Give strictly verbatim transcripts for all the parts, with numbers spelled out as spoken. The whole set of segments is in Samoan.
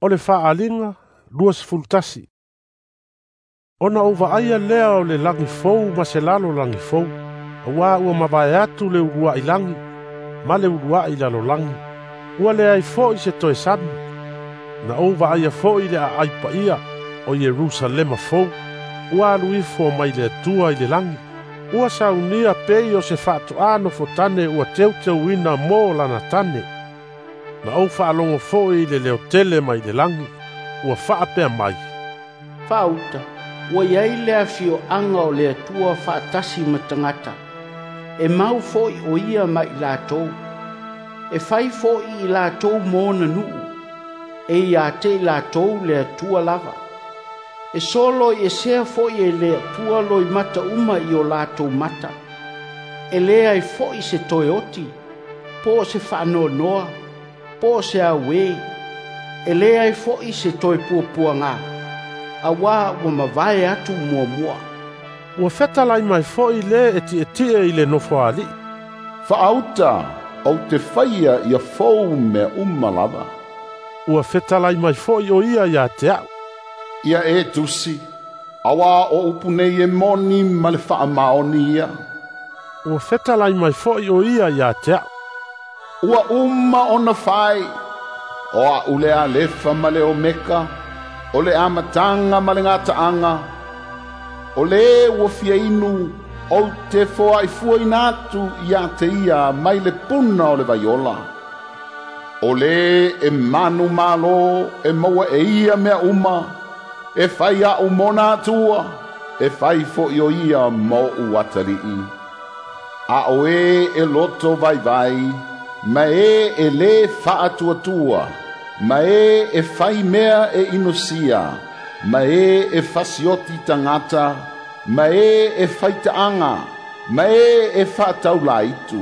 O le faaaliga luasefulutasi. Ona ou vaaia lea o le lagi fou ma se lalolagi fou, auā ua mavae atu le uluai lagi ma le uluai lalolagi, ua leai fo'i se toe sami. Na ou vaaia fo'i le aai paia o Ierusalema fou, ua alu ifo mai le Atua i le lagi, ua saunia pei o se faatoā nofotane ua teuteuina mo lana tane. Na ou faalogo fo'i i le leo tele mai le lagi, ua faapea mai, "Faauta, ua iai le afioaga o le Atua faatasi ma tagata, e mau fo'i o ia ma i latou, e fai fo'i i latou mo ona nuu, e ia te i latou le Atua lava. E solo i esea fo'i e le Atua loimata uma i o latou mata, e leai fo'i se toe oti, po o se faanoanoa, po o se auē, e leai fo'i se toe puapuagā, auā ua mavae atu muamua." Ua fetalai mai fo'i lē e tietie i le nofoalii, "Faauta, ou te faia ia fou mea uma lava." Ua fetalai mai fo'i o ia ia te a'u, "Ia e tusi, auā o upu nei e moni ma le faamaoni ia." Ua fetalai mai fo'i o ia ia te a'u, "Ua uma ona fai, o a'u le Alefa ma le Omeka, o le amataga ma le gataaga. O lē ua fia inu, ou te foa'ifuaina atu iā te ia mai le puna o le vaiola. O lē e manumālō e maua e ia mea uma, e fai a'u mona Atua, e fai fo'i o ia ma o'u atali'i. A o e e loto vaivai, ma e e lē faatuatua, ma e e fai mea e inosia, ma e e fasioti tagata, ma e e faitaaga, ma e e faataulāitu,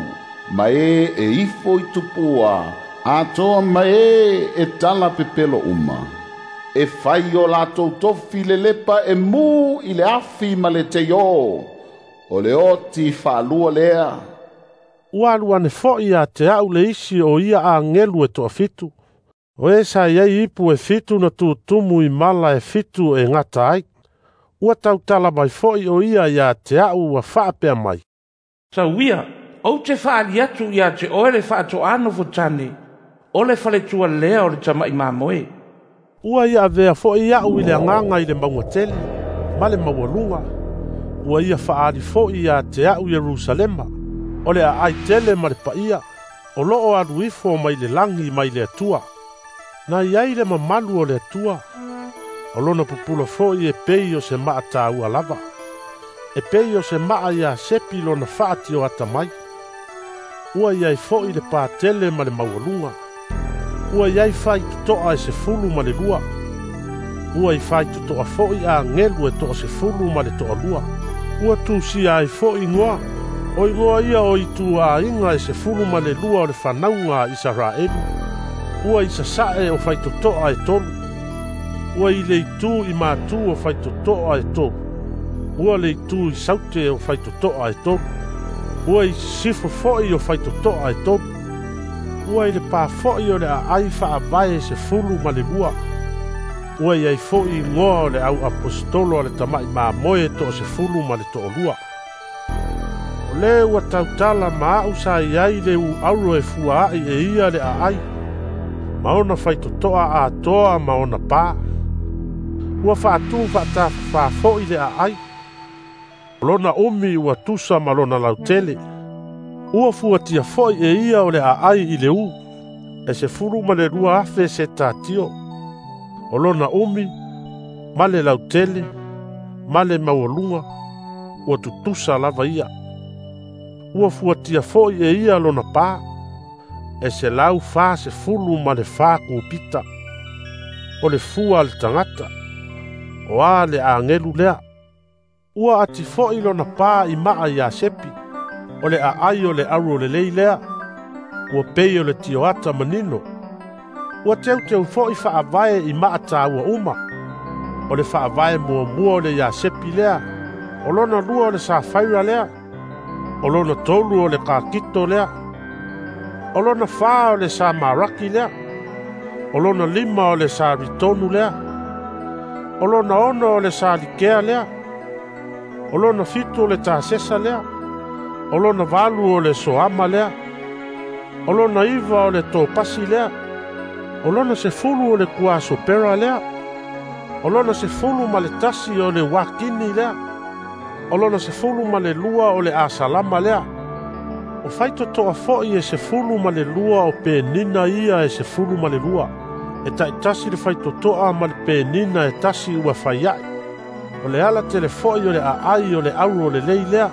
ma e e ifo i tupua, atoa ma e e tala pepelo uma, e fai o latou tofi lelepa e mū i le afi ma le teiō, o le oti faalua lea." Ua alu ane fo'i ia te a'u le isi o ia agelu e toafitu, o e sa iai ipu e fitu na tutumu i mala e fitu e gata ai. Ua tautala mai fo'i o ia ia te a'u ua faapea mai, "Tauia, ou te faaali atu iā te oe le faatoā nofotane, o le faletua lea o le tama'i mamoe." Ua ia avea fo'i a'u i le agaga i le mauga tele ma le maualuga. Ua ia faaali fo'i ia te a'u Ierusalema, o le aai tele ma le paia, o loo alu ifo mai le lagi mai le Atua. Na iai le mamalu o le Atua, o lona pupula fo'i e pei o se maa tāua lava, e pei o se maa ia sepi lona faatioata mai. Ua iai fo'i le patele ma le maualuga. Ua iai faitotoa e sefulu ma le lua. Ua i faitotoa fo'i agelu e toasefulu ma le toalua. Ua tusia ai fo'i igoa, o igoa ia o ituaiga e sefulu ma le lua o le fanauga a Isaraelu. Ua i sasa'e o faitotoa e tolu. Ua i le itu i matū o faitotoa e tolu. Ua le itu i saute o faitotoa e tolu. Ua i sisifo fo'i o faitotoa e tolu. Ua i le pā fo'i o le aai faavae sefulu ma le lua. Ua iai fo'i igoa o le au aposetolo a le tama'i mamoe e toasefulu ma le toalua. O lē ua tautala ma a'u sa iai le uauro e fuaa'i e ia le aai, ma ona faitotoa atoa ma ona pā. Ua faatū faatafafā fo'i le aai. O lona umi ua tusa ma lona lautele. Ua fuatia fo'i e ia o le aai i le ū, e sefulu ma le lua afe se tatio. O lona umi, ma le lautele, ma le maualuga, ua tutusa lava ia. Ua fuatia fo'i e ia lona pā, e selau fasefulu ma le fa kupita. O le fua a le tagata, o a le agelu lea. Ua ati fo'i lona pā i maa ia sepi, o le aai o le auro lelei lea, ua pei o le tioata manino. Ua teuteu fo'i faavae i maa tāua uma. O le faavae muamua o le iasepi lea, o lona lua o le safaira lea, o lona tolu o le kakito lea, o lona fā o le samaraki lea, O lona lima o le Saritonu lea. O lona ono o le Salikea lea. O lona fitu o le Tasesa lea. O lona valu o le Soama lea. O lona iva o le Topasi lea. O lona sefulu o le Kuasopera lea. O lona sefulu ma le tasi o le Wakini lea. O lona sefulu ma le lua o le Asalama lea. O faitotoa foi e sefulu ma le lua o penina ia e sefulu ma le lua. E taitasi le faitotoa ma le penina e tasi ua faiai. O le ala tele foi o le aai o le auro le lei lea,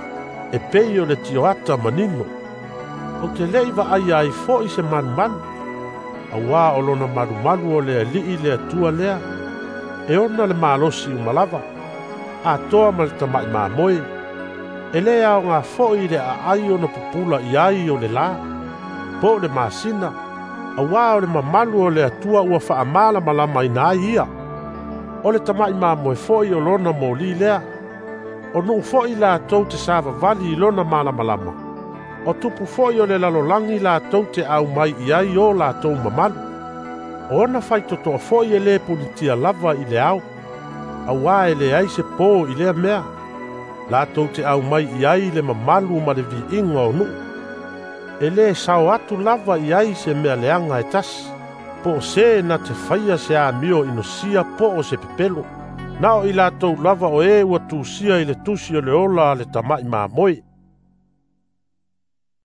e pei o le tioata manino. O te lei vaai ai foi se malumalu, auā o lona malumalu o le alii le Atua lea, e ona le malosi umalava, atoa ma le tamai mamoe. E le aoga foi le aai ona pupula i ai o le la, po o le masina, auā o le mamalu o le Atua ua faamalamalamaina ai ia. O le tamai mamoe foi o lona moli lea, o nuu foi latou te savavali i lona malamalama. O tupu foi o le lalolagi latou te aumai i ai o latou mamalu. O ona faitotoa foi e le punitia lava i le ao, auā e leai se po i lea mea, latou te aumai i ai le mamalu ma le viiga o nuu. E le sao atu lava i ai se mea leaga e tasi, po o se na te faia se amio inosia po o se pepelo. Na o i latou lava o e ua tusia i le tusi o le ola a le tamai mamoe.